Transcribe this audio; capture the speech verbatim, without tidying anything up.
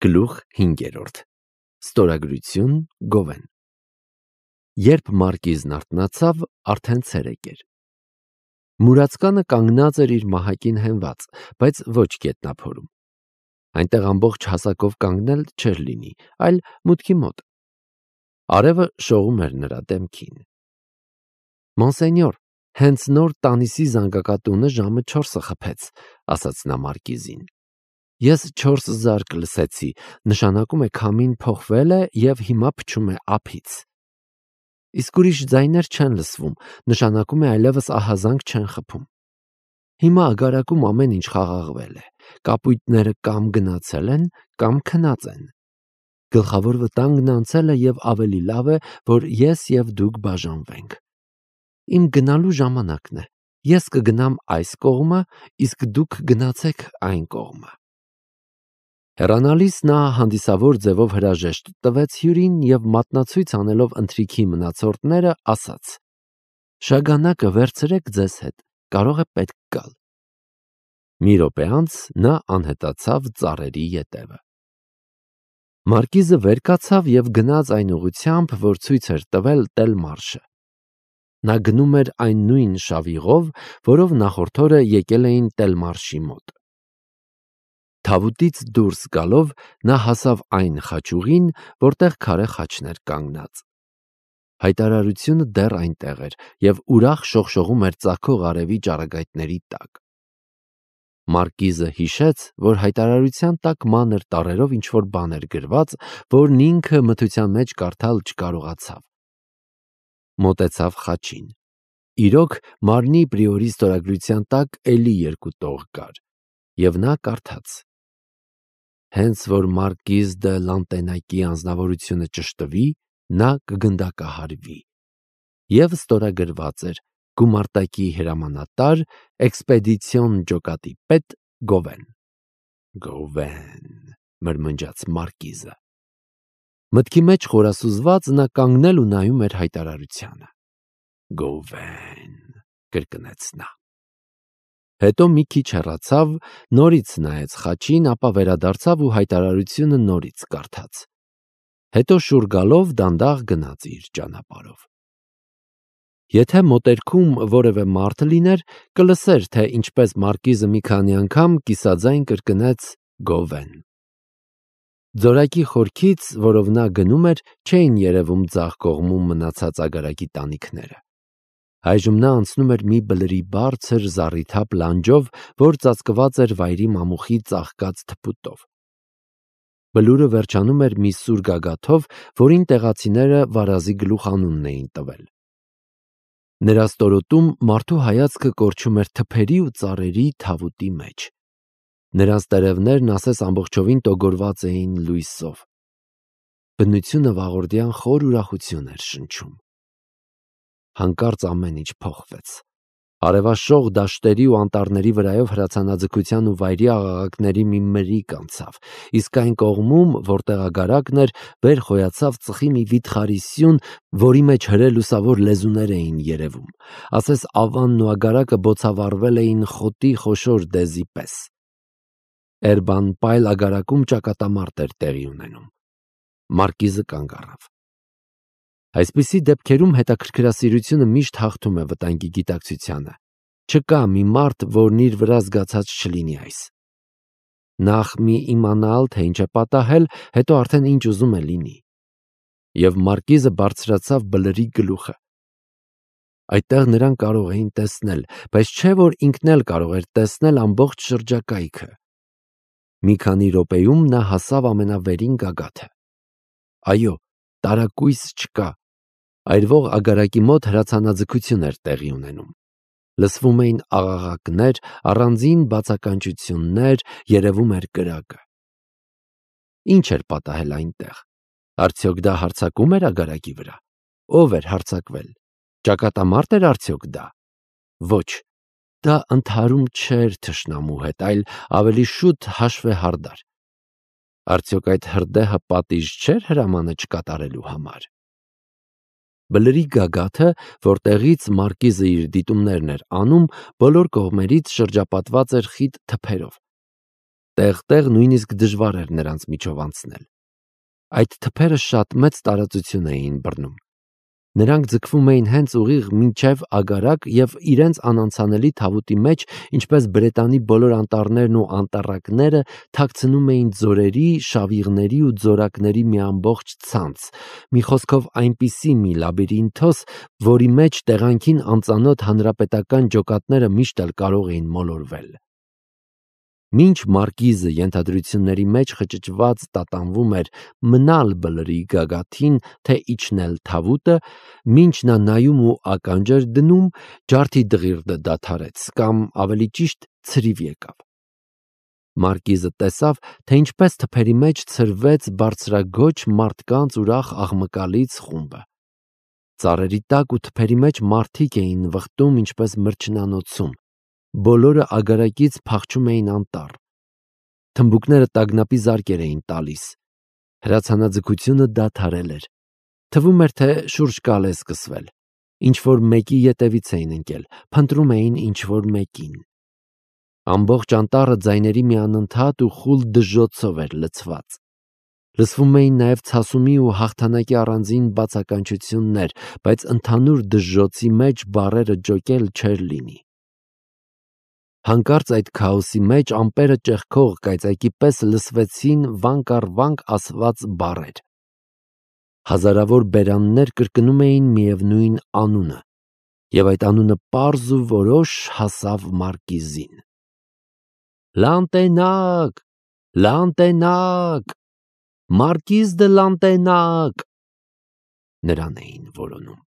Գլուխ հինգերորդ Ստորագրություն Գովեն Երբ Մարկիզն արթնացավ, արդեն ցերեկ էր։ Մուրացկանը կանգնած էր իր մահակին հենված, բայց ոչ գետնափորում։ Այնտեղ ամբողջ հասակով կանգնել չէր լինի, այլ մուտքի մոտ։ Արևը շողում էր նրա դեմքին։ Մոնսենյոր, հենց նոր տանիսի զանգակատունը ժամը չորսը խփեց, ասաց նա Մարկիզին։ Ես չորս զարկ լսեցի, նշանակում է քամին փոխվել է և հիմա փչում է ափից։ Իսկ ուրիշ ձայներ չեն լսվում, նշանակում է այլևս ահազանգ չեն խփում։ Հիմա ագարակում ամեն ինչ խաղաղվել է, կապույտները կամ գնացել են, կամ քնած են։ Գլխավոր վտանգն անցել է և ավելի լավ է, որ ես և դուք բաժանվենք։ Իմ գնալու ժամանակն է, ես կգնամ այս կողմը, իսկ դուք գնացեք այն կողմը։ Հեռանալիս նա հանդիսավոր ձևով հրաժեշտ տվեց հյուրին և մատնացույց անելով ընթրիքի մնացորդները ասաց. «Շագանակը վերցրեք ձեզ հետ, կարող է պետք գալ»։ Մի րոպե անց նա անհետացավ ծառերի ետևը։ Մարկիզը վեր կացավ և գնաց այն ուղղությամբ, որ ցույց էր տվել Տելմարշը։ Նա գնում էր այն նույն շավիղով, որով նախորդ օրը եկել էին Տելմարշի մոտ։ Թավուտից դուրս գալով նա հասավ այն խաչուղին, որտեղ քարե խաչն էր կանգնած։ Հայտարարությունը դեռ այնտեղ էր և ուրախ շողշողում էր ծագող արևի ճառագայթների տակ։ Մարկիզը հիշեց, որ հայտարարության տակ մանր տառերով ինչ-որ բան էր գրված, որն ինքը մթության մեջ կարդալ չկարողացավ։ Մոտեցավ խաչին։ Իրոք, մարմնի պրիորի ստորագրության տակ էլի երկու տող կար, և նա կարդաց. Հենց որ Մարկիզ դը Լանտենակի անձնավորությունը ճշտվի, նա կգնդակահարվի։ Եվ ստորագրված էր գումարտակի հրամանատար, էքսպեդիցիոն ջոկատի պետ Գովեն։ Գովեն, մրմնջաց Մարկիզը։ Մտքի մեջ խորասուզված նա կանգնել ու նայում էր հայտարարությանը։ Գովեն, կրկնեց նա։ Հետո մի քիչ հեռացավ, նորից նայեց խաչին, ապա վերադարձավ ու հայտարարությունը նորից կարդաց։ Հետո շուռ գալով դանդաղ գնաց իր ճանապարհով։ Եթե մոտերքում որևէ մարդ լիներ, կլսեր, թե ինչպես Մարկիզը մի քանի անգամ կիսաձայն կրկնեց Գովեն։ Ձորակի խորքից, որով նա գնում էր, չէին երևում ձախ կողմում մնացած ագարակի տանիքները։ Այժմ նա անցնում էր մի բլրի բարձր զառիթափ լանջով, որ ծածկված էր վայրի մամուխի ծաղկած թփուտով։ Բլուրը վերջանում էր մի սուր գագաթով, որին տեղացիները վարազի գլուխ անունն էին տվել։ Նրա ստորոտում մարդու հայացքը կորչում էր թփերի ու ծառերի թավուտի մեջ։ Նրանց տերևներն ասես ամբողջովին տոգորված էին լույսով։ Բնությունը վաղորդյան խոր ուրախություն էր շնչում։ Հանկարծ ամեն ինչ փոխվեց։ Արևաշող դաշտերի ու անտառների վրայով հրացանաձգության ու վայրի աղաղակների մի մրրիկ անցավ, իսկ այն կողմում, որտեղ ագարակն էր, վեր խոյացավ ծխի մի վիթխարի սյուն, որի մեջ հրե լուսավոր լեզուներ էին երևում, ասես ավանն ու ագարակը բոցավառվել էին խոտի խոշոր դեզի պես։ Էրբանպայլ ագարակում ճակատամարտ էր տեղի ունենում։ Մարկիզը կանգ առավ։ Այսպիսի դեպքերում հետաքրքրասիրությունը միշտ հաղթում է վտանգի գիտակցությանը։ Չկա մի մարդ, որն իր վրա զգացած չլինի այս։ Նախ մի իմանալ, թե ինչ է պատահել, հետո արդեն ինչ ուզում է լինի։ Եվ Մարկիզը բարձրացավ բլրի գլուխը։ Այդտեղ նրան կարող էին տեսնել, բայց չէ որ ինքն էլ կարող էր տեսնել ամբողջ շրջակայքը։ Մի քանի րոպեում նա հասավ ամենավերին գագաթը։ Այո, տարակույս չկա։ Այրվող ագարակի մոտ հրացանաձգություն էր տեղի ունենում։ Լսվում էին աղաղակներ, առանձին բացականչություններ, երևում էր կրակը։ Ինչ էր պատահել այնտեղ։ Արդյոք դա հարձակում էր ագարակի վրա։ Ո՞վ էր հարձակվել։ Ճակատամարտ էր արդյոք դա։ Ոչ, դա ընդհարում չէր թշնամու հետ, այլ ավելի շուտ հաշվեհարդար։ Արդյոք այդ հրդեհը պատիժ չէր հրամանը չկատարելու համար։ Բլրի գագաթը, որտեղից Մարկիզը իր դիտումներն էր անում, բոլոր կողմերից շրջապատված էր խիտ թփերով։ տեղ-տեղ նույնիսկ դժվար էր նրանց միջով անցնել։ Այդ թփերը շատ մեծ տարածություն էին բռնում։ Նրանք ձգվում էին հենց ուղիղ մինչև Ագարակ և իրենց անանցանելի թավուտի մեջ, ինչպես Բրետանի բոլոր անտառներն ու անտառակները, թաքցնում էին ձորերի, շավիղների ու ձորակների մի ամբողջ ցանց, մի խոսքով այնպիսի մի լաբիրինթոս, որի մեջ տեղանքին անծանոթ հանրապետական ջոկատները միշտ էլ կարող էին մոլորվել։ Մինչ Մարկիզը ենթադրությունների մեջ խճճված տատանվում էր մնալ բլրի գագաթին, թե իջնել թավուտը, մինչ նա նայում ու ականջ էր դնում, ջարդի դղիրդը դադարեց, կամ ավելի ճիշտ ցրիվ եկավ։ Մարկիզը տեսավ, թե ինչպես թփերի մեջ ցրվեց բարձրագոչ մարդկանց ուրախ աղմկալից խումբը։ Ծառերի տակ ու թփերի մեջ մարդիկ էին վխտում ինչպես մրջնանոցում, բոլորը ագարակից փախչում էին անտառ։ Թմբուկները տագնապի զարկեր էին տալիս։ Հրացանաձգությունը դադարել էր։ Թվում էր, թե շուրջ կալ է սկսվել։ Ինչ-որ մեկի ետևից էին ընկել, փնտրում էին ինչ-որ մեկին։ Ամբողջ անտառը ձայների մի անընդհատ ու խուլ դժոխցով էր լցված։ Լսվում էին նաև ցասումի ու հաղթանակի առանձին բացականչություններ, բայց ընդհանուր դժոխցի մեջ բառերը ջոկել չէր լինի։ Հանկարծ այդ քաոսի մեջ ամպերը ճեղքող կայծակի պես լսվեցին վանք առ վանք ասված բառեր։ Հազարավոր բերաններ կրկնում էին միևնույն անունը, և այդ անունը պարզ ու որոշ հասավ Մարկիզին։ «Լանտենակ, Լանտենակ, Մարկիզ դը Լանտենակ», նրան էին որոնում։